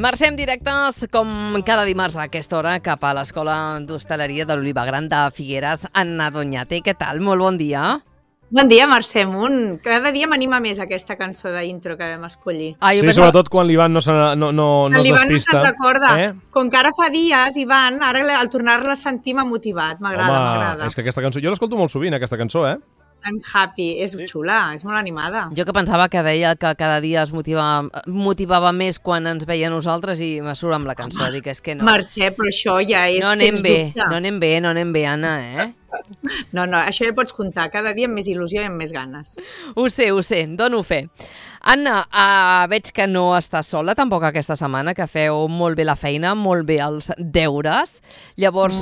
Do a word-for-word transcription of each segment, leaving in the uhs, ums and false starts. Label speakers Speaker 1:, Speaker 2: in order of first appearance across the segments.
Speaker 1: Marxem directes, com cada dimarts a aquesta hora, cap a l'Escola d'Hostaleria de l'Oliva Gran de Figueres, Anna Doñate. Què tal? Molt bon dia.
Speaker 2: Bon dia, Mercè Munt. Cada dia m'anima més aquesta cançó d'intro que vam escollir.
Speaker 3: Ah, sí, pensava... sobretot quan l'Ivan no, se, no, no, no es
Speaker 2: L'Ivan
Speaker 3: despista.
Speaker 2: no se'n recorda.
Speaker 3: Eh?
Speaker 2: Com que ara fa dies, Ivan, ara al tornar-la a sentir m'ha motivat. M'agrada, m'agrada.
Speaker 3: És que aquesta cançó... Jo l'escolto molt sovint, aquesta cançó, eh?
Speaker 2: I'm happy. És sí. xula, és molt animada.
Speaker 1: Jo que pensava que deia que cada dia es motivava, motivava més quan ens veia a nosaltres i me surt amb la cançó. Dic, és que no.
Speaker 2: Mercè, però això ja és...
Speaker 1: No anem bé, no anem bé, no anem bé, Anna, eh?
Speaker 2: No, no, això ja pots comptar. Cada dia amb més il·lusió i amb més ganes.
Speaker 1: Ho sé, ho sé, dono fe. Anna, uh, veig que no estàs sola tampoc aquesta setmana, que feu molt bé la feina, molt bé els deures. Llavors,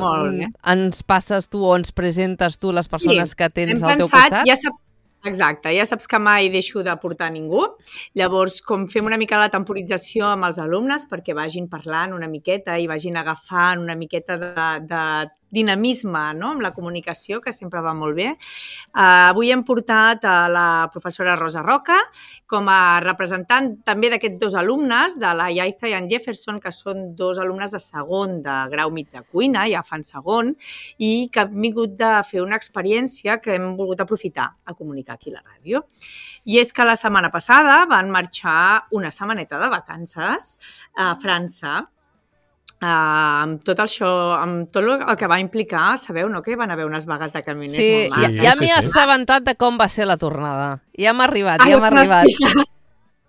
Speaker 1: ens passes tu o ens presentes tu les persones sí, que tens al teu costat?
Speaker 2: Ja saps, exacte, ja saps que mai deixo de portar ningú. Llavors, com fem una mica la temporització amb els alumnes perquè vagin parlant una miqueta i vagin agafant una miqueta de, de dinamisme, no?, amb la comunicació, que sempre va molt bé. Uh, avui hem portat a la professora Rosa Roca com a representant també d'aquests dos alumnes, de la Yaiza i en Jefferson, que són dos alumnes de segon de grau mig de cuina, ja fan segon, i que han vingut de fer una experiència que hem volgut aprofitar a comunicar aquí a la ràdio. I és que la setmana passada van marxar una setmaneta de vacances a França, Uh, amb tot això, amb tot el que va implicar, sabeu, no?, que van haver unes vagues de camioners
Speaker 1: sí,
Speaker 2: molt maques.
Speaker 1: Ja, ja m'he sí, sí. assabentat de com va ser la tornada. Ja m'ha arribat, ja m'ha arribat.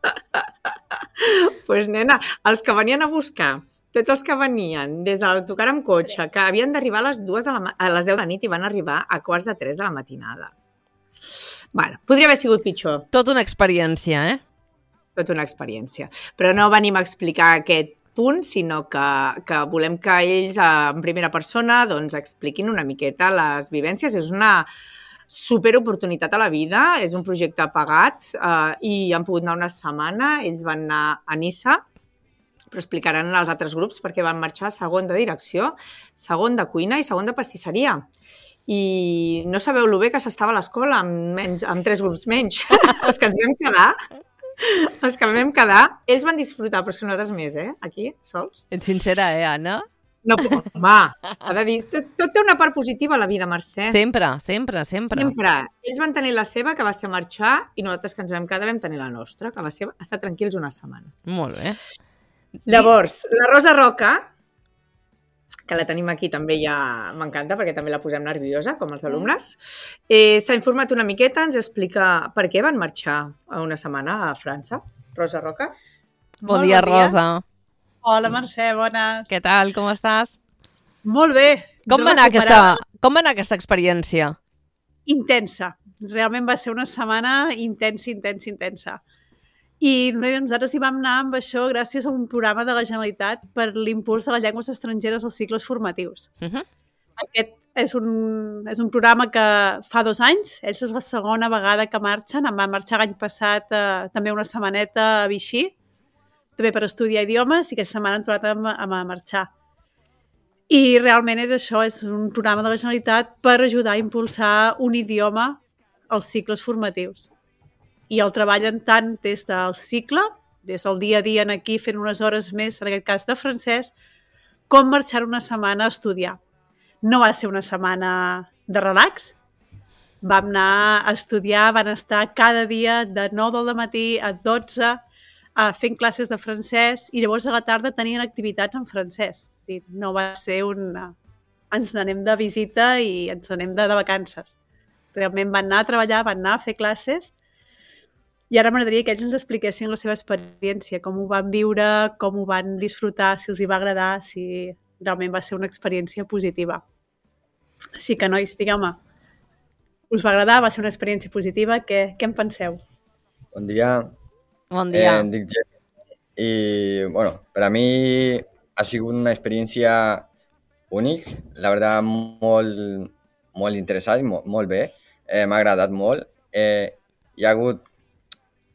Speaker 2: Doncs, pues, nena, els que venien a buscar, tots els que venien des de l'autocar amb cotxe, que havien d'arribar a les dues de la, a les deu de nit i van arribar a quarts de tres de la matinada. Bueno, podria haver sigut pitjor.
Speaker 1: Tot una experiència, eh?
Speaker 2: Tot una experiència. Però no venim a explicar aquest punt, sinó que, que volem que ells, en primera persona, doncs, expliquin una miqueta les vivències. És una superoportunitat a la vida, és un projecte pagat eh, i han pogut anar una setmana. Ells van anar a Niça, però explicaran als altres grups perquè van marxar segon de direcció, segon de cuina i segon de pastisseria. I no sabeu lo bé que s'estava a l'escola amb, menys, amb tres grups menys. Els que ens vam quedar... Els que vam quedar, ells van disfrutar, però és que nosaltres més, eh? Aquí, sols.
Speaker 1: Ets sincera, eh, Anna?
Speaker 2: No, home, ha de dir, tot, tot té una part positiva a la vida, Mercè.
Speaker 1: Sempre, sempre, sempre.
Speaker 2: Sempre. Ells van tenir la seva, que va ser marxar, i nosaltres que ens vam quedar vam tenir la nostra, que va ser estar tranquils una setmana.
Speaker 1: Molt bé.
Speaker 2: Llavors, la Rosa Roca, que la tenim aquí també ja m'encanta perquè també la posem nerviosa, com els alumnes. Eh, S'ha informat una miqueta, ens explica per què van marxar a una setmana a França. Rosa Roca.
Speaker 1: Bon, bon dia, dia, Rosa.
Speaker 4: Hola, Mercè, bones.
Speaker 1: Què tal, com estàs?
Speaker 4: Molt bé.
Speaker 1: Com va, anar aquesta, com va anar aquesta experiència?
Speaker 4: Intensa. Realment va ser una setmana intensa, intensa, intensa. I nosaltres hi vam anar amb això gràcies a un programa de la Generalitat per l'impuls de les llengües estrangeres als cicles formatius. Uh-huh. Aquest és un, és un programa que fa dos anys, ells és la segona vegada que marxen, em van marxar l'any passat eh, també una setmaneta a Vichy, també per estudiar idiomes, i aquesta setmana han trobat a, a marxar. I realment és això, és un programa de la Generalitat per ajudar a impulsar un idioma als cicles formatius. I el treballen tant des del cicle, des del dia a dia aquí fent unes hores més, en aquest cas de francès, com marxar una setmana a estudiar. No va ser una setmana de relax, vam anar a estudiar, van estar cada dia de nou del matí a dotze fent classes de francès i llavors a la tarda tenien activitats en francès. No va ser un... ens n'anem de visita i ens n'anem de, de vacances. Realment van anar a treballar, van anar a fer classes. I ara m'agradaria que ells ens expliquessin la seva experiència, com ho van viure, com ho van disfrutar, si els hi va agradar, si realment va ser una experiència positiva. Així que, nois, digueu-me, us va agradar? Va ser una experiència positiva? Què, què en penseu?
Speaker 5: Bon dia.
Speaker 1: Bon dia.
Speaker 5: Eh, em dic Jeff. I, bueno, per a mi ha sigut una experiència única, la veritat, molt, molt interessant i molt, molt bé. Eh, m'ha agradat molt. Eh, hi ha hagut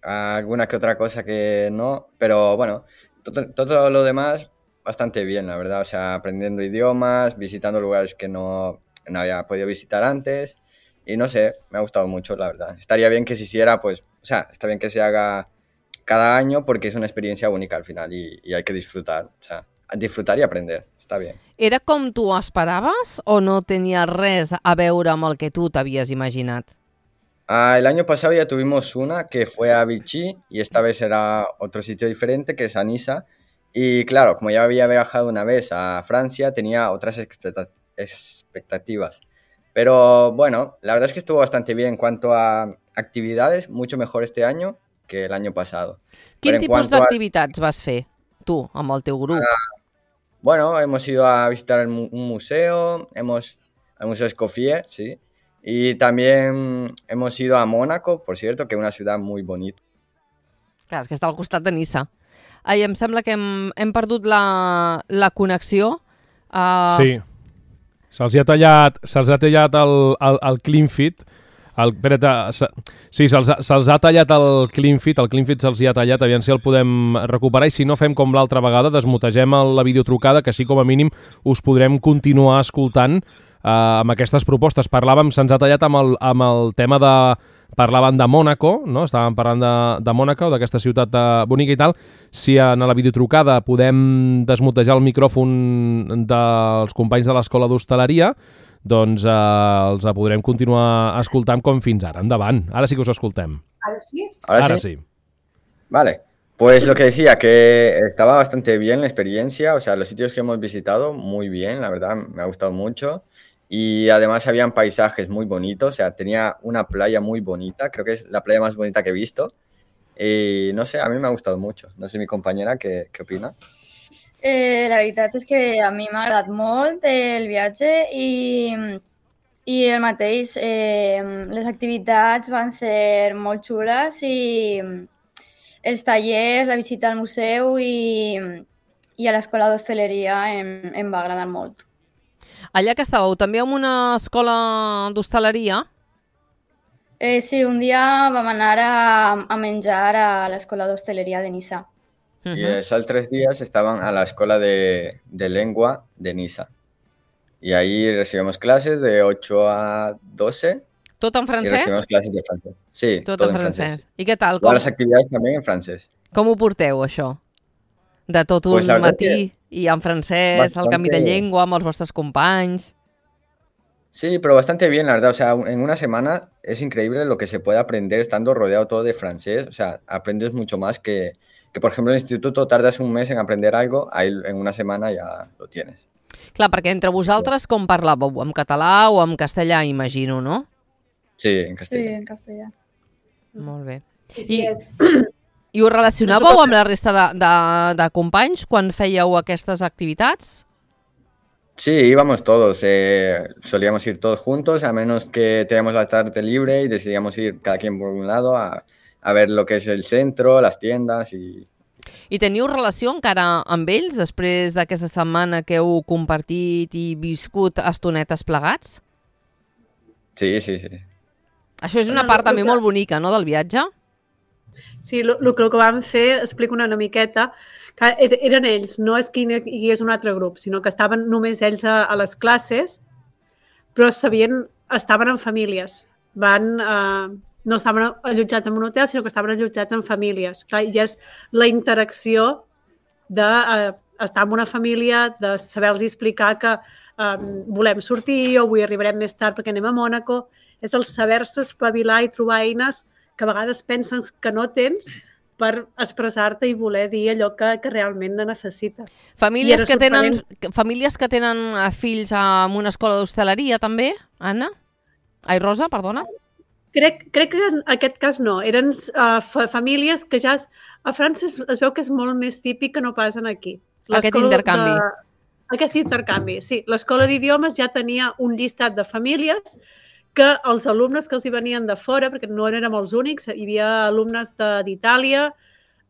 Speaker 5: alguna que otra cosa que no, pero bueno, todo, todo lo demás bastante bien, la verdad, o sea, aprendiendo idiomas, visitando lugares que no, no había podido visitar antes y no sé, me ha gustado mucho, la verdad. Estaría bien que se hiciera, pues, o sea, está bien que se haga cada año porque es una experiencia única al final y, y hay que disfrutar, o sea, disfrutar y aprender, está bien.
Speaker 1: Era com tu esperaves o no tenia res a veure amb el que tu t'havies imaginat?
Speaker 5: Ah, el año pasado ya tuvimos una que fue a Vichy y esta vez era otro sitio diferente que es a Niza. Y claro, como ya había viajado una vez a Francia, tenía otras expecta- expectativas. Pero bueno, la verdad es que estuvo bastante bien en cuanto a actividades, mucho mejor este año que el año pasado.
Speaker 1: Quin
Speaker 5: Pero en
Speaker 1: tipus
Speaker 5: cuanto a-
Speaker 1: d'activitats vas fer, tu, amb el teu grup?
Speaker 5: Bueno, hemos ido a visitar el mu- un museo, hemos al Museo Escoffier, sí. Y también hemos ido a Mónaco, por cierto, que es una ciudad muy bonita.
Speaker 1: Clar, és que està al costat de Niça. Ai, em sembla que hem, hem perdut la, la connexió. Uh,
Speaker 3: Sí. Se'ls ha tallat, se'ls ha tallat el, el, el Cleanfit. El, espera't, se, sí, se'ls ha, se'ls ha tallat el Cleanfit, el Cleanfit se'ls hi ha tallat, aviam si el podem recuperar i si no fem com l'altra vegada, desmutegem el, la videotrucada, que així com a mínim us podrem continuar escoltant eh, amb aquestes propostes. Parlàvem, se'ns ha tallat amb el, amb el tema de... Parlaven de Mònaco, no? Estàvem parlant de, de Mònaco, d'aquesta ciutat de, bonica i tal. Si en la videotrucada podem desmutejar el micròfon dels companys de l'Escola d'Hostaleria, doncs eh, els podrem continuar escoltant com fins ara. Endavant, ara sí que us escoltem.
Speaker 2: Ara sí?
Speaker 5: ¿Ahora,
Speaker 3: Ara
Speaker 5: sí?
Speaker 3: sí.
Speaker 5: Vale, pues lo que decía, que estaba bastante bien la experiencia, o sea, los sitios que hemos visitado, muy bien, la verdad, me ha gustado mucho. Y además habían paisajes muy bonitos, o sea, tenía una playa muy bonita, creo que es la playa más bonita que he visto. Y no sé, a mí me ha gustado mucho. No sé mi compañera què, què opina.
Speaker 6: Eh, la veritat és que a mi m'ha agradat molt el viatge i, i el mateix, eh, les activitats van ser molt xules i els tallers, la visita al museu i, i a l'escola d'hostaleria em, em va agradar molt.
Speaker 1: Allà que estàveu, també en una escola d'hostaleria?
Speaker 6: Eh, sí, un dia vam anar a, a menjar a l'escola d'hostaleria de Niça.
Speaker 5: Uh -huh. Y esos tres días estaban a la escuela de, de lengua de Niza. Y ahí recibimos clases de ocho a doce.
Speaker 1: Tot en
Speaker 5: Y
Speaker 1: francès?
Speaker 5: recibimos clases de francés. Sí,
Speaker 1: Tot
Speaker 5: todo
Speaker 1: en
Speaker 5: en
Speaker 1: francès.
Speaker 5: francés.
Speaker 1: I què tal?
Speaker 5: Todas
Speaker 1: Com,
Speaker 5: las actividades también en francés.
Speaker 1: com ho porteu, això? De tot un
Speaker 5: Pues la verdad
Speaker 1: matí i en francès, el canvi de
Speaker 5: bastante-
Speaker 1: llengua amb els vostres companys...
Speaker 5: Sí, pero bastante bien, la verdad. O sea, en una semana es increíble lo que se puede aprender estando rodeado todo de francés. O sea, aprendes mucho más que, que, por ejemplo, en el instituto tardas un mes en aprender algo, ahí en una semana ya lo tienes.
Speaker 1: Clar, perquè entre vosaltres com parlàveu? En català o en castellà, imagino, no?
Speaker 5: Sí, en
Speaker 6: Sí,
Speaker 5: castellano.
Speaker 6: en castellà.
Speaker 1: Molt bé.
Speaker 2: Sí, sí,
Speaker 1: I-
Speaker 2: és...
Speaker 1: I us relacionàveu amb la resta de, de, de companys quan fèieu aquestes activitats?
Speaker 5: Sí, íbamos todos. Eh, solíamos ir todos juntos, a menos que teníamos la tarde libre y decidíamos ir cada quien por un lado a, a ver lo que es el centro, las tiendas y...
Speaker 1: I teniu relació encara amb ells després d'aquesta setmana que heu compartit i viscut estonetes plegats?
Speaker 5: Sí, sí, sí.
Speaker 1: Això és una
Speaker 4: Bueno,
Speaker 1: part
Speaker 4: lo
Speaker 1: també
Speaker 4: que-
Speaker 1: molt bonica, no?, del viatge?
Speaker 4: Sí, el que, que vam fer, explico una, una miqueta, que er- eren ells, no és que hi hagués un altre grup, sinó que estaven només ells a, a les classes, però sabien, estaven en famílies. Van, eh, no estaven allotjats en un hotel, sinó que estaven allotjats en famílies. Clar, i és la interacció d'estar eh, amb una família, de saber-los explicar que eh, volem sortir o avui arribarem més tard perquè anem a Mònaco. És el saber-se espavilar i trobar eines que a vegades penses que no tens per expressar-te i voler dir allò que, que realment necessites.
Speaker 1: Famílies
Speaker 4: era
Speaker 1: que, tenen,
Speaker 4: sorprenent.
Speaker 1: famílies que tenen eh, fills en una escola d'hostaleria, també, Anna? Ai, Rosa, perdona.
Speaker 4: Crec, crec que en aquest cas no. Eren uh, fa famílies que ja... Es, a França es, es veu que és molt més típic que no passen aquí.
Speaker 1: Aquest
Speaker 4: L'escola
Speaker 1: intercanvi.
Speaker 4: De, aquest intercanvi, sí. L'escola d'idiomes ja tenia un llistat de famílies que els alumnes que els hi venien de fora, perquè no érem els únics, hi havia alumnes d'Itàlia,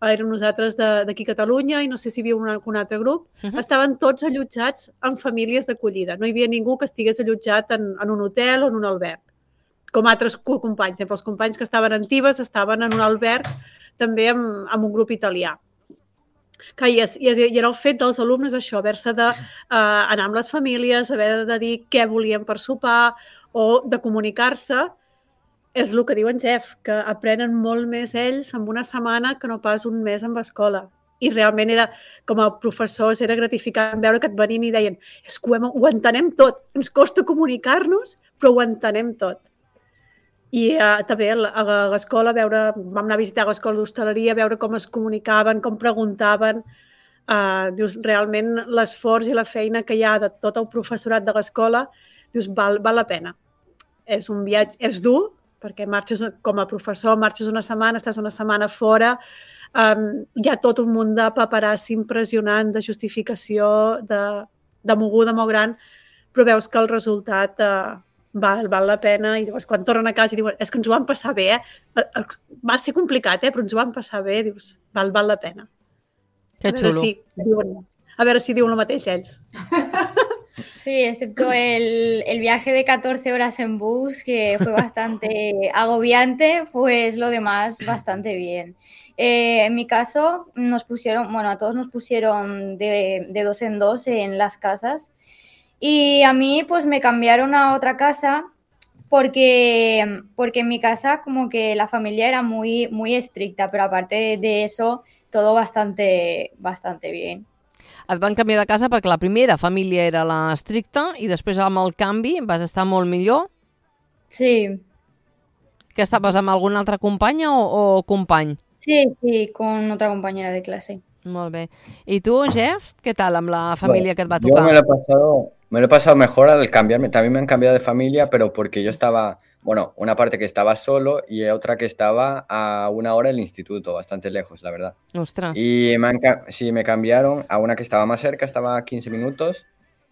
Speaker 4: érem nosaltres d'aquí a Catalunya i no sé si hi havia un, un altre grup,
Speaker 1: Uh -huh.
Speaker 4: estaven tots allotjats en famílies d'acollida. No hi havia ningú que estigués allotjat en, en un hotel o en un alberg, com altres companys. Els companys que estaven en Tibes estaven en un alberg també amb, amb un grup italià. Que i, és, i, és, I era el fet dels alumnes això, haver-se d'anar uh, amb les famílies, haver de dir què volien per sopar o de comunicar-se. és el que diu en Jeff, que aprenen molt més ells en una setmana que no pas un mes amb escola. I realment era, com a professors, era gratificant veure que et venien i deien és que ho, hem, ho entenem tot, ens costa comunicar-nos, però ho entenem tot. I uh, també a l'escola, veure, vam anar a visitar l'escola d'hostaleria, veure com es comunicaven, com preguntaven. Uh, dius, realment l'esforç i la feina que hi ha de tot el professorat de l'escola, dius, val, val la pena. És un viatge, és dur, perquè marxes com a professor, marxes una setmana, estàs una setmana fora, Um, hi ha tot un munt de paperassi impressionant, de justificació, de, de moguda molt gran, però veus que el resultat uh, val, val la pena i llavors quan tornen a casa i diuen és que ens ho vam passar bé, eh? Va ser complicat, eh? Però ens ho vam passar bé, dius, val, val la pena.
Speaker 1: Que xulo.
Speaker 4: Si diuen, a veure si diuen el mateix ells.
Speaker 6: Sí, excepto el, el viaje de catorce horas en bus, que fue bastante agobiante, pues lo demás bastante bien. Eh, en mi caso, nos pusieron, bueno, a todos nos pusieron de, de dos en dos en las casas y a mí pues me cambiaron a otra casa porque, porque en mi casa como que la familia era muy, muy estricta, pero aparte de eso, todo bastante, bastante bien.
Speaker 1: Et van canviar de casa perquè la primera família era la estricta i després amb el canvi vas estar molt millor?
Speaker 6: Sí.
Speaker 1: Que estaves amb alguna altra companya o, o company?
Speaker 6: Sí, sí, con otra compañera de clase.
Speaker 1: Molt bé. I tu, Jeff, què tal amb la família bueno, que et va tocar?
Speaker 5: Yo me lo he pasado, me lo he pasado mejor al cambiarme. También me han cambiado de familia, pero porque yo estaba, bueno, una parte que estaba solo y otra que estaba a una hora del instituto, bastante lejos, la verdad.
Speaker 1: Ostras.
Speaker 5: Y me han, sí, me cambiaron a una que estaba más cerca, estaba a quince minutos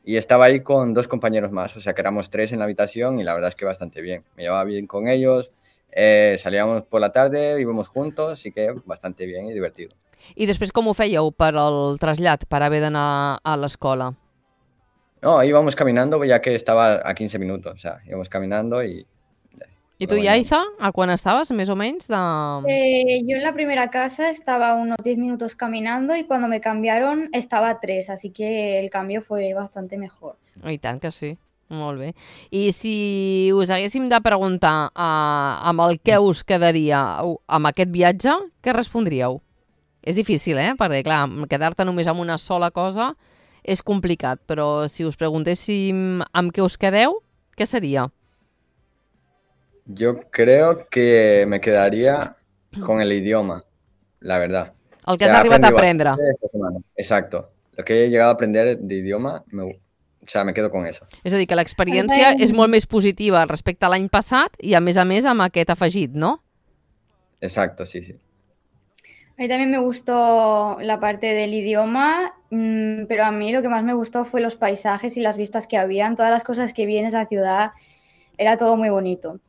Speaker 5: y estaba ahí con dos compañeros más, o sea que éramos tres en la habitación y la verdad es que bastante bien. Me llevaba bien con ellos. Eh, salíamos por la tarde, íbamos juntos, así que bastante bien y divertido.
Speaker 1: I després com ho fèieu per al trasllat, per haver d'anar a l'escola?
Speaker 5: No, íbamos caminando ya que estaba a quince minutos, o sea, íbamos caminando y...
Speaker 1: I tu, Yaiza, a quan estaves, més o menys? De...
Speaker 6: Eh, yo en la primera casa estaba unos diez minutos caminando y cuando me cambiaron estaba a tres, así que el cambio fue bastante mejor.
Speaker 1: I tant que sí. Molt bé. I si us haguéssim de preguntar uh, amb el què us quedaria amb aquest viatge, què respondríeu? És difícil, eh? Perquè, clar, quedar-te només amb una sola cosa és complicat, però si us preguntéssim amb què us quedeu, què seria?
Speaker 5: Yo creo que me quedaría con el idioma, la verdad.
Speaker 1: El que o sea, has arribat a aprendre.
Speaker 5: Exacto. Lo que he llegado a aprender de idioma, me, o sea, me quedo con eso.
Speaker 1: És a dir, que l'experiència és molt més positiva respecte a l'any passat i, a més a més, amb aquest afegit, ¿no?
Speaker 5: Exacto, sí, sí.
Speaker 6: A mí también me gustó la parte del idioma, mmm, pero a mí lo que más me gustó fue los paisajes y las vistas que habían, todas las cosas que vi en esa ciudad, era todo muy bonito.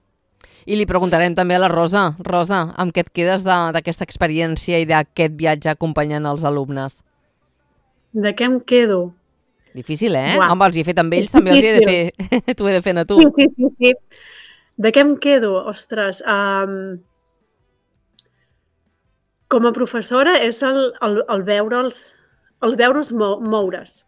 Speaker 1: I li preguntarem també a la Rosa. Rosa, amb què et quedes d'aquesta experiència i d'aquest viatge acompanyant els alumnes?
Speaker 4: De què em quedo?
Speaker 1: Difícil, eh?
Speaker 4: Uah.
Speaker 1: Home, els hi he fet amb ells, també els hi he de fer. T'ho he de fer a tu.
Speaker 4: Sí, sí, sí, sí. De què em quedo? Ostres, um, com a professora és el, el, el veure'ls el veure'ls mou, moure's.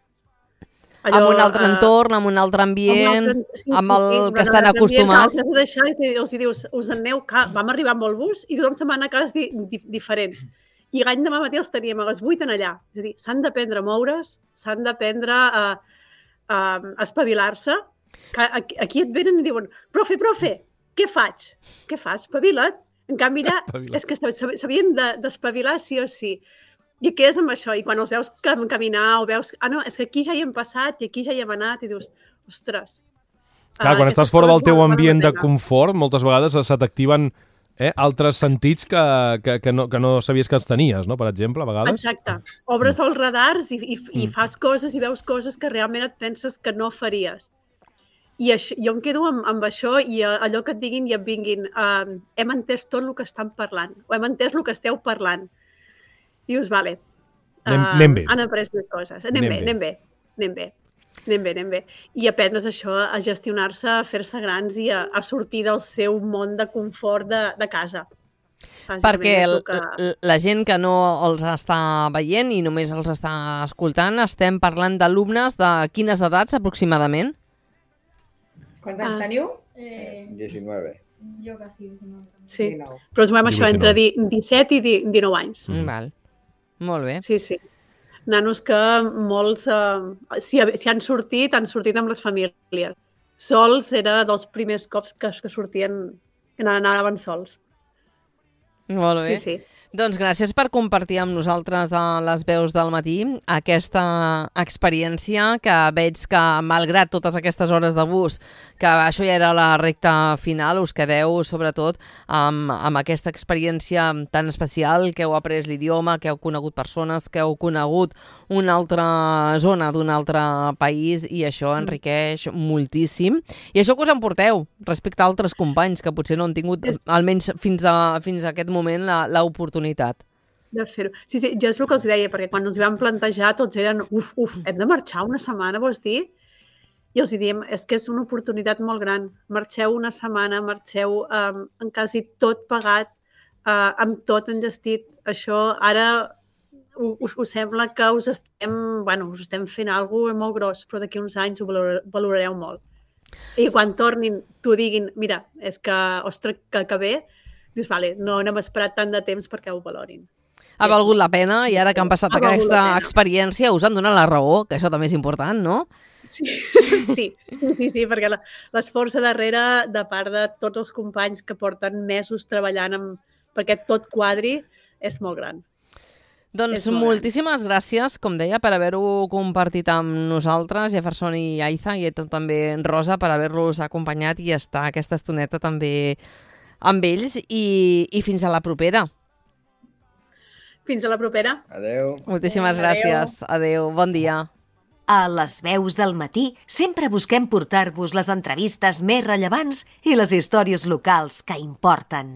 Speaker 1: Allò, amb un altre uh, entorn, amb un altre ambient, amb, altre, sí, amb el sí, sí, que estan acostumats.
Speaker 4: Ambient, deixar, i els dius, us en aneu, vam arribar amb el bus i tothom se'n va anar a cases di, di, diferents. I l'any demà matí els teníem a les vuit en allà. És a dir, s'han d'aprendre a moure's, s'han d'aprendre a, a, a espavilar-se. Aquí, aquí et venen i diuen, profe, profe, què faig? Què fas? Espavila't. En canvi allà és que s'havien d'espavilar sí o sí. I quedes amb això, i quan els veus caminar o veus, ah no, és que aquí ja hi hem passat i aquí ja hi hem anat i dius, ostres.
Speaker 3: Clar, quan estàs fora del teu ambient de confort, moltes vegades se t'activen eh, altres sentits que, que, que, no, que no sabies que els tenies, no? Per exemple, a vegades.
Speaker 4: Exacte. Obres els radars i, i, i fas coses i veus coses que realment et penses que no faries. I això, jo em quedo amb, amb això i allò que et diguin i et vinguin, uh, hem entès tot el que estan parlant, o hem entès el que esteu parlant. Dius, vale, uh,
Speaker 3: anem, anem bé.
Speaker 4: Han après més coses. Anem, anem bé, anem bé, anem bé, anem bé, anem bé. I aprendre's això, a gestionar-se, a fer-se grans i a, a sortir del seu món de confort de, de casa.
Speaker 1: Perquè el, que... la gent que no els està veient i només els està escoltant, estem parlant d'alumnes de quines edats aproximadament?
Speaker 2: Quants anys teniu?
Speaker 5: Eh... diecinueve.
Speaker 6: Jo quasi diecinueve.
Speaker 4: Sí, però ens movem això entre disset i dinou anys.
Speaker 1: Mm. Val. Molt bé.
Speaker 4: Sí, sí. Nanos que molts, eh, si, si han sortit, han sortit amb les famílies. Sols era dels primers cops que, que sortien, que anaven sols.
Speaker 1: Molt bé.
Speaker 4: Sí, sí.
Speaker 1: Doncs gràcies per compartir amb nosaltres a les veus del matí aquesta experiència que veig que, malgrat totes aquestes hores de bus, que això ja era la recta final, us quedeu sobretot amb, amb aquesta experiència tan especial, que heu après l'idioma, que heu conegut persones, que heu conegut una altra zona d'un altre país, i això enriqueix moltíssim. I això que us emporteu respecte a altres companys que potser no han tingut, almenys fins a, fins a aquest moment, l'oportunitat
Speaker 4: de fer-ho. Sí, sí, jo és el que els deia, perquè quan ens vam plantejar tots eren, uf, uf, hem de marxar una setmana, vols dir? I els diem, és que és una oportunitat molt gran. Marxeu una setmana, marxeu um, en quasi tot pagat, uh, amb tot enllestit. Això ara us, us sembla que us estem, bueno, us estem fent alguna cosa molt gros, però d'aquí uns anys ho valor, valorareu molt. I quan tornin, t'ho diguin, mira, és que, ostres, que, que bé, dius, vale, no n'hem esperat tant de temps perquè ho valorin.
Speaker 1: Ha valgut la pena, i ara que han passat aquesta experiència us han donat la raó, que això també és important, no?
Speaker 4: Sí, sí, sí, sí, sí, perquè l'esforç darrere, de part de tots els companys que porten mesos treballant amb, perquè tot quadri, és molt gran.
Speaker 1: Doncs moltíssimes gràcies, com deia, per haver-ho compartit amb nosaltres, Jefferson i Aiza, i també Rosa, per haver-los acompanyat i estar aquesta estoneta també amb ells, i, i fins a la propera.
Speaker 4: Fins a la propera.
Speaker 5: Adeu.
Speaker 1: Moltíssimes gràcies. Adeu. Bon dia.
Speaker 7: A les veus del matí sempre busquem portar-vos les entrevistes més rellevants i les històries locals que importen.